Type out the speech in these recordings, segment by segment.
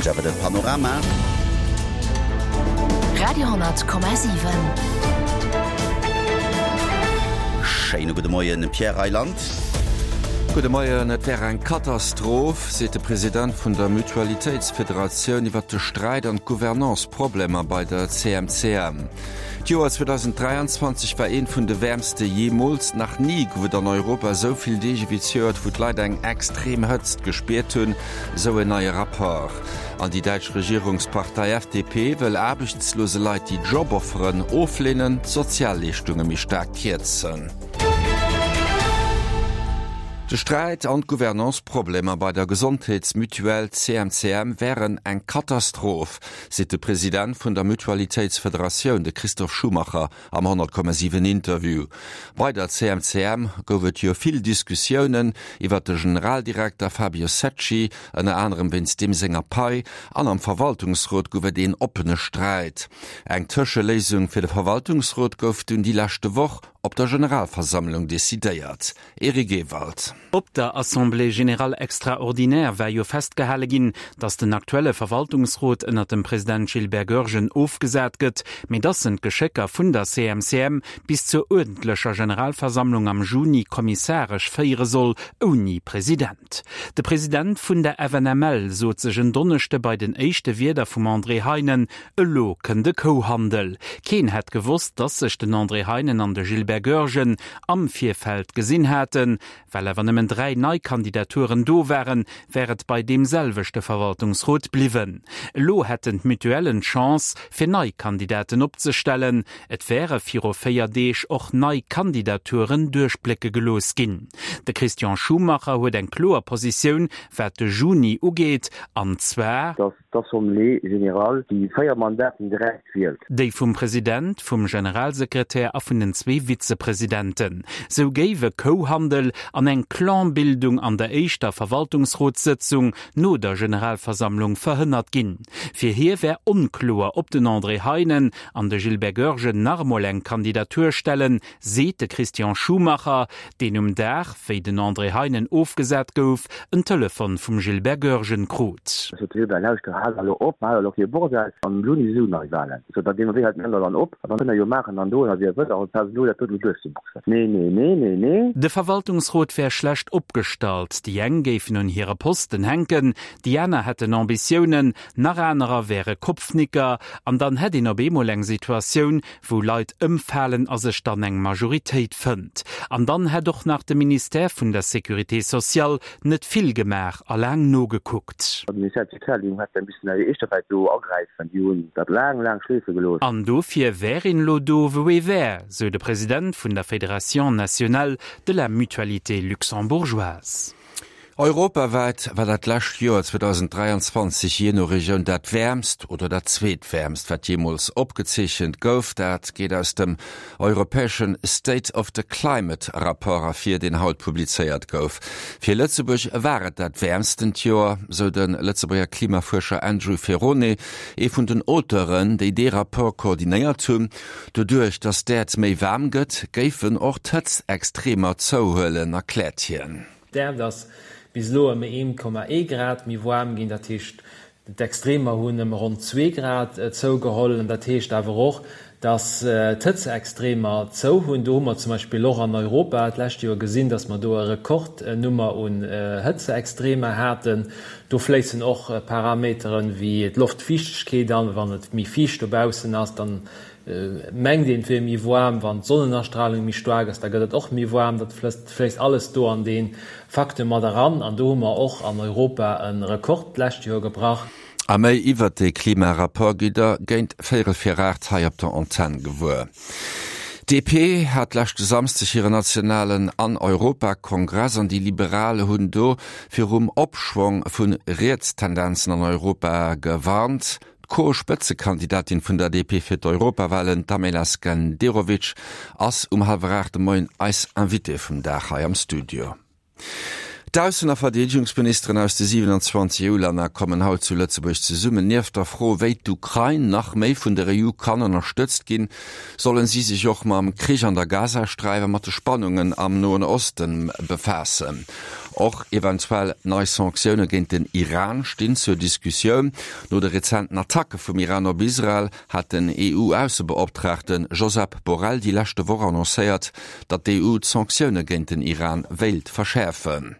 Kritt awer de Panorama. Radio,7. Schéine gudde Moien, Pierre Reyland. Gudde Moien. Et wär eng Katastroph, seet de President vun der Mutualitéitsfederatioun iwwer de Sträit an d'Gouvernance-Problemer bei der CMCM. D'Joer 2023 war eent vun de wäermste jeemools. Nach ni gouf et an Europa esou vill Deeg ewéi zejoert, wou d'Leit eng extrem Hëtzt gespiert hunn, esou en neie Rapport. An déi däitsch Regierungspartei FDP wëll aarbechtslose Leit, déi Jobofferen ofleenen, d'Sozialleeschtunge méi staark kierzen. De Sträit an d'Gouvernance-Problemer bei der Gesondheetsmutuelle CMCM wären eng Katastroph, seet de President vun der Mutualitéitsfederatioun, de Christoph Schumacher am 100,7 Interview. Bei der CMCM gouf et jo vill Diskussiounen iwwer de Generaldirekter Fabio Secci, ënner anerem wéinst deem senger Pai, an am Verwaltungsrot gouf et een oppene Sträit. Eng Tëscheléisung fir de Verwaltungsrot gouf dunn déi leschte Woch op der Generalversammlung decidéiert. Eric Ewald. Op der Assemblée générale extraordinaire war jo festgehale ginn, datt den aktuelle Verwaltungsrot ënnert dem President Gilbert Goergen ofgesat gëtt, mee datt en d'Geschécker vun der CMCM bis zur uerdentlecher Generalversammlung am Juni kommissaresch féiere soll, ouni President. De President vun der FNML sot sech en Donneschde bei den éischte Wierder vum André Heinen, Elo kënnt e Kouhandel. Keen hätt gewosst, dass sech den André Heinen an de Gilbert Goergen am Virfeld gesinn haten. Well awer nëmmen 3 nei Kandidaturen do waren, wär et bei deem selwechte Verwaltungsrot bliwwen. Elo hätten d'Mutuellen d'Chance, fir nei Kandidaten opzestellen. Et wäre viru 4 Deeg och nei Kandidaturen duerchblécke gelooss ginn. De Christian Schumacher huet eng kloer Positioun, wat de Juni ugeet, an zwar, Dass d'Assemblée générale déi 4 Mandaten direkt wielt. Déi vum President, vum Generalsekretär a vun den zwee Vizepresidenten. Sou géif e Kouhandel an eng Clanbildung an der éischter Verwaltungsrotssëtzung no der Generalversammlung verhënnert ginn. Fir hie wär onkloer, ob den André Heinen an de Gilbert Goergen nach emol eng Kandidatur stellen, seet de Christian Schumacher, deen um Dag, wéi den André Heinen ofgesat gouf, en Telefon vum Gilbert Goergen krut. Ech sot, Gilbert, lauschter, hal elo op, hal elo kee Bordell, am Juni si sou nei Wahlen. Ech sot, da gi mer wéi hei den Änder dann op, an dann kënnt der jo maachen an doen a wéi der wëllt, awer pass elo dat do net duerchzeboxen. Nee, nee, nee, nee, nee. De Verwaltungsrot wär schlecht opgestallt, déi eng géifen un hire Posten hänken, déi aner hätten Ambitiounen, nach anerer wäre Kopfnicker, an dann hätt een op eemol eng Situatioun, wou Leit ëmfalen a sech dann eng Majoritéit fënnt. An dann hätt och nach de Ministère vun der Sécurité sociale net vill gemaach a laang nogekuckt. De Ministère tutelle, déi hätte missen hir éischter vläicht do agräifen, déi hunn dat laang, laang schleefe gelooss. An dofir wär een elo do, wou ee wär, sou de President vun der Fédération nationale de la mutualité luxembourgeoise. Europawäit war dat lescht Joer 2023 jee no Regioun dat wäermst oder dat zweetwäermst, wat jeemools opgezeechent gouf. Dat geet aus dem europäesche State of the Climate Rapport ervir, deen haut publizéiert gouf. Fir Lëtzebuerg war et dat wäermstent Joer, sou de Lëtzebuerger Klimafuerscher Andrew Ferrone, ee vun den Auteuren, déi dee Rapport koordinéiert hunn. Doduerch, datt d'Äerd méi waarm gëtt, géifen och d'Hëtztextremer zouhuelen, erkläert hien. D'Äerd ass bis elo ëm 1,1 Grad méi waarm ginn, dat heescht d'Extremer hunn ëm ronn zwee Grad zougeholl. An dat heescht awer och, datt d'Hëtzeextremer zou hunn. Do hu mer zum Beispill och an Europa d'lescht Joer gesinn, datt mer do e Rekordnummer un Hëtzeextremer haten. Do fléissen och Parameteren wéi d'Loftfiichtegkeet an. Wann et méi fiicht dobaussen ass, dann Mengt een et wier méi waarm, wann d'Sonnenastralung méi staark ass, da gëtt et och méi waarm. Dat fléisst alles do an dee Facteur mat eran. An do hu mer och an Europa e Rekord d'lescht Joer gebrach. A méi iwwert dee Klimarapport gitt der géint véierel vir 8 hei op der Antenn gewuer. D'DP hat leschte Samsdeg hire nationalen an Europakongress an déi Liberal hunn do virum Opschwong vu Rietstendenzen an Europa gewarnt. D'Co-Spëtzekandidatin vun der DP fir d'Europawalen, d'Amela Skenderovic, ass um hallwer 8 de Moien eis Invitée vum Dag hei am Studio. D'Aussen a Verdeedegungsministeren aus de 27 EU-Länner kommen haut zu Lëtzebuerg zesummen. Nieft der Fro, wéi d'Ukrain nach méi vun der EU kann ënnerstëtzt ginn, sollen si sech och mam Krich an der Gazasträif a mat de Spannungen am Noen Osten befaassen. Och eventuell nei Sanktioune géint den Iran stinn zur Diskussioun. No de rezenten Attacke vum Iran op Israel hat den EU-Aussebeoptraagte Josep Borrell déi leschte Woch annoncéiert, datt d'EU d'Sanktioune géint den Iran wéilt verschäerfen.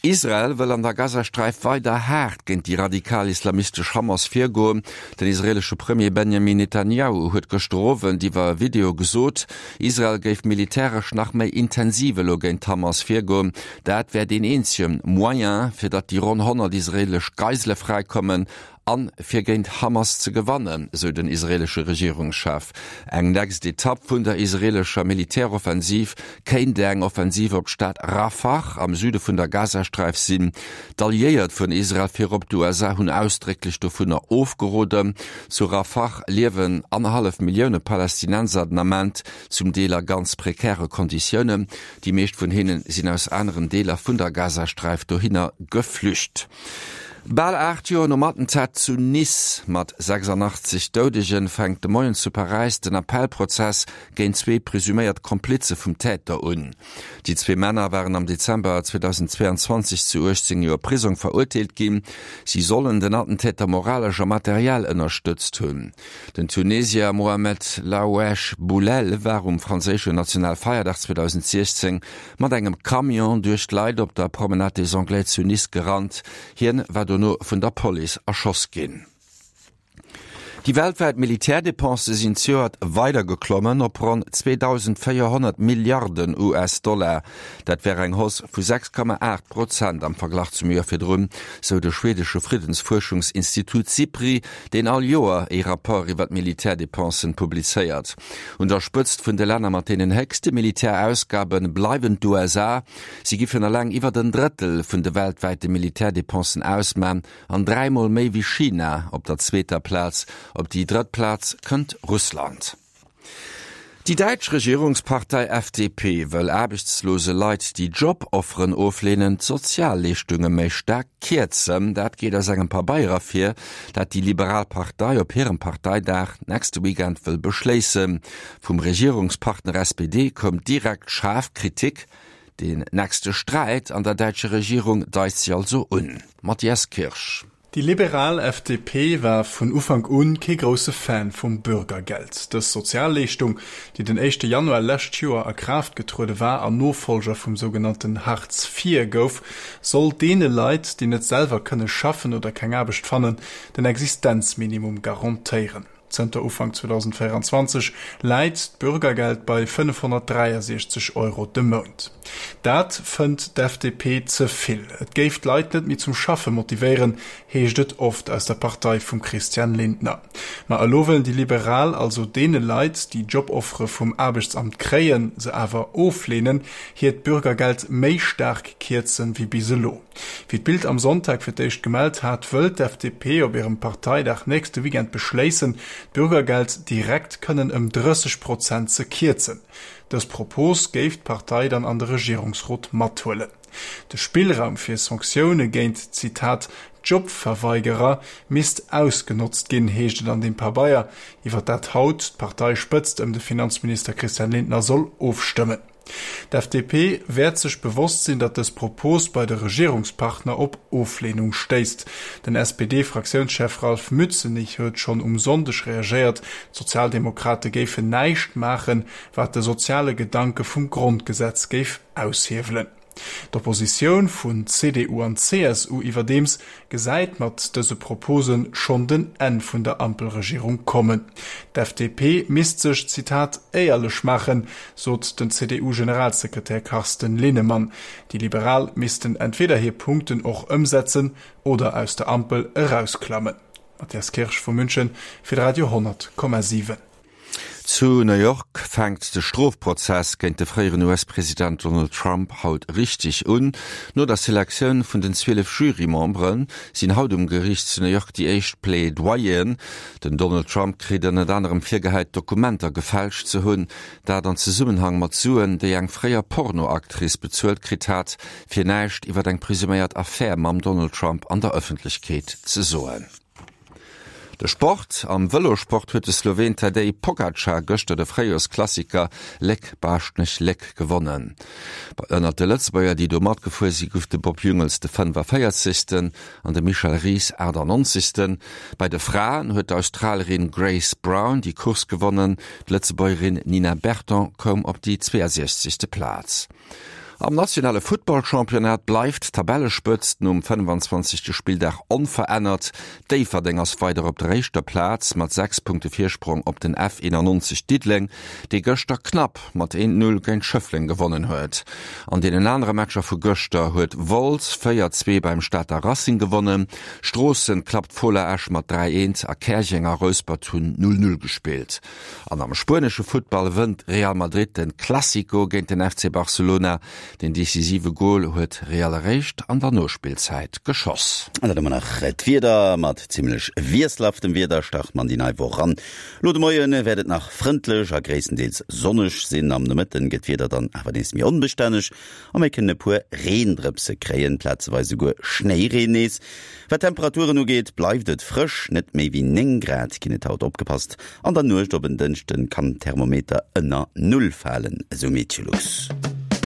Israel wëll an der Gazasträif weider haart géint déi radikal-islamistesch Hamas virgoen. Den israeelesche Premier Benjamin Netanjahu huet gëschter Owend iwwer e Video gesot, Israel géif militäresch nach méi intensiv elo géint d'Hamas virgoen. Dat wär deen eenzege Moyen, fir datt déi ronn 100 israeelesch Geisele fräikommen An fir géint Hamas ze gewannen, sou den israeelesche Regierungschef. Eng nächst Etapp vun der israeelescher Militäroffensiv kéint eng Offensiv op d'Stad Rafah am Süde vun der Gazasträif sinn. D'Alliéiert vun Israel, virop d'USA, hunn ausdrécklech dovunner ofgeroden. Zu Rafah liewen annerhallef Millioune Palästinenser den Ament, zum Deel a ganz prekäre Konditiounen. Déi meescht vun hinne sinn aus aneren Deeler vun der Gazasträif dohinner geflücht. Bal 8 Joer nom Attentat zu Nice mat 86 Doudegen fänkt de Moien zu Paräis den Appellprozess géint zwee presuméiert Komplize vum Täter un. Déi zwee Männer waren am Dezember 2022 zu 18 Joer Prisong verurteelt ginn. Si sollen den Attentäter moralesch a materiell ënnerstëtzt hunn. Den Tunesier Mohamed Lahouaiej Bouhlel war um franséischen Nationalfeierdag 2016 mat engem Camion duerch d'Leit op der Promenade des Anglais zu Nice gerannt. Hien war dono vun der Police erschoss ginn. Déi weltwäit Militärdepensë sinn zejoert weider geklommen op ronn 2.400 Milliarden US-Dollar. Dat wär eng Hausse vu 6,8 Prozent am Verglach zum Joer virdrun, sou de schwedesche Friddensfuerschungsinstitut Sipri, deen all Joer ee Rapport iwwer d'Militärdepensen publizéiert. Un der Spëtzt vun de Länner mat deenen héchste Militärausgabe bleiwen d'USA. Si giffen eleng iwwert en Drëttel vun de weltwäite Militärdepensen ausman an dräimol méi wéi China op der zweeter Plaz. Op déi drëtt Plaz kënnt Russland. Déi däitsch Regierungspartei FDP wëll aarbechtslose Leit, déi Job-Offeren ofleenen, d'Sozialleeschtunge méi staark kierzen. Dat geet aus engem Pabeier ervir, dat déi liberal Partei op hirem Parteidag nächste Weekend wëll beschléissen. Vum Regierungspartner SPD koum direkt schaarf Kritik. Deen nächste Sträit an der däitscher Regierung deit sech also un. Matthias Kirsch. Déi liberal FDP war vun Ufank un kee grousse Fan vum Bürgergeld. Dës Sozialleeschtung, déi den éischte Januar lescht Joer a Kraaft getruede war an Nofollger vum sougenannten Hartz IV gouf, soll deene Leit, déi net selwer kënne schaffen oder keng Aarbecht fannen, den Existenzminimum garantéieren. Zënter Ufank 2024 läit d'Bürgergeld bei 563 Euro de Mount. Dat fënnt d'FDP ze vill. Et géif d'Leit net méi zum Schaffe motivéieren, heescht et oft aus der Partei vum Christian Lindner. Ma elo wëllen déi Liberal also deene Leit, déi Joboffere vum Aarbechtsamt kréien, se awer ofleenen, hiert Bürgergeld méi staark kierzen wéi bis elo. Wéi d'Bild am Sonntag fir d'éischt gemellt hat, wëllt d'FDP op hirem Parteidag nächste Weekend beschléissen, d'Bürgergeld direkt kënnen ëm 30 Prozent ze kierzen. Dës Propos géif d'Partei dann an de Regierungsrot mathuelen. De Spillraum fir Sanktioune géint, Zitat, Jobverweigerer misst ausgenotzt ginn, heescht et an deem Pabeier, iwwer dat haut d'Parteispëtzt ëm de Finanzminister Christian Lindner soll ofstëmmen. D'FDP wäert sech bewosst sinn, datt dës Propos bei de Regierungspartner op Ofleenung stéisst. Den SPD-Fraktiounschef Ralph Mützenich huet schonn um Sonndeg reagéiert, d'Sozialdemokrate géifen näischt maachen, wat de soziale Gedanke vum Grondgesetz géif aushiewelen. D'Oppositioun vun CDU an CSU iwwerdeems gesäit mat dëse Propose schonn den Enn vun der Ampelregierung kommen. D'FDP misst sech, Zitat, éierlech maachen, sot den CDU-Generalsekretär Carsten Linnemann. Déi Liberal missten entweder hir Punkten och ëmsetzen oder aus der Ampel erausklammen. Matthias Kirsch vu München fir de Radio 10,7. Zu New York fänkt de Strofprozess géint de fréieren US-President Donald Trump haut richteg un. No der Selektioun vun den 12 Jurymembere sinn haut um Geriicht zu New York déi éischt Plaidoyeren. Den Donald Trump kritt ënnert anerem virgehäit, Dokumenter gefälscht ze hunn, dat an Zesummenhang mat Suen, déi eng fréier Pornoactrice bezuelt kritt hat, fir näischt iwwer eng presuméiert Affär mam Donald Trump an der Ëffentlechkeet ze soen. De Sport, Am Vëlosport huet de Sloween Tadej Pogacar gëschter de Fréijoersklassiker Léck-Baaschtnech-Léck gewonnen. Ënnert de Lëtzebuerger, déi do matgefuer si, gouf de Bob Jungels de 45. An de Michel Ries 98. Bei de Fraen huet d'Australierin Grace Brown déi Course gewonnen, d'Lëtzebuergerin Nina Berton koum op déi 62. Plaz. Am nationale Futtballchampionnat bleift d'Tabellespëtzt nom 25. Spilldag onverännert. Déifferdeng ass weider op der éischter Plaz mat 6 Punkte Virsprong op den F91 Diddeleng, dee gëschter knapp mat 1, 0 géint Schëffleng gewonnen huet. An deenen anere Matcher vu gëschter huet Wolz 4, 2 beim Stater Racing gewonnen, Stroossen klappt Fola Esch mat 3, 1 a Käerjeng a Rouspert hunn 0, 0 gespillt. An am spuenesche Futtball wënnt Real Madrid den Clasico géint den FC Barcelona. Den decisive Gol huet Real eréischt an der Nospillzäit geschoss. An dann hu mer nach d'Wieder. Mat zimmlech wiesselhaftem Wieder start mer an déi nei Woch eran. Elo de Moie wäert et nach frëndlech a gréisstendeels sonneg sinn. Am Nomëtten gëtt d'Wieder dann awer nees méi onbestänneg a mir kënnen e puer Reendrëpse kréien, plazeweis esouguer Schnéireen nees. Wat d'Temperaturen ugeet, bleift et frësch, net méi wéi 9 Grad ginn et haut. Opgepasst, an der Nuecht op en Dënschden kann den Thermometer ënner Null falen, esou Meteolux.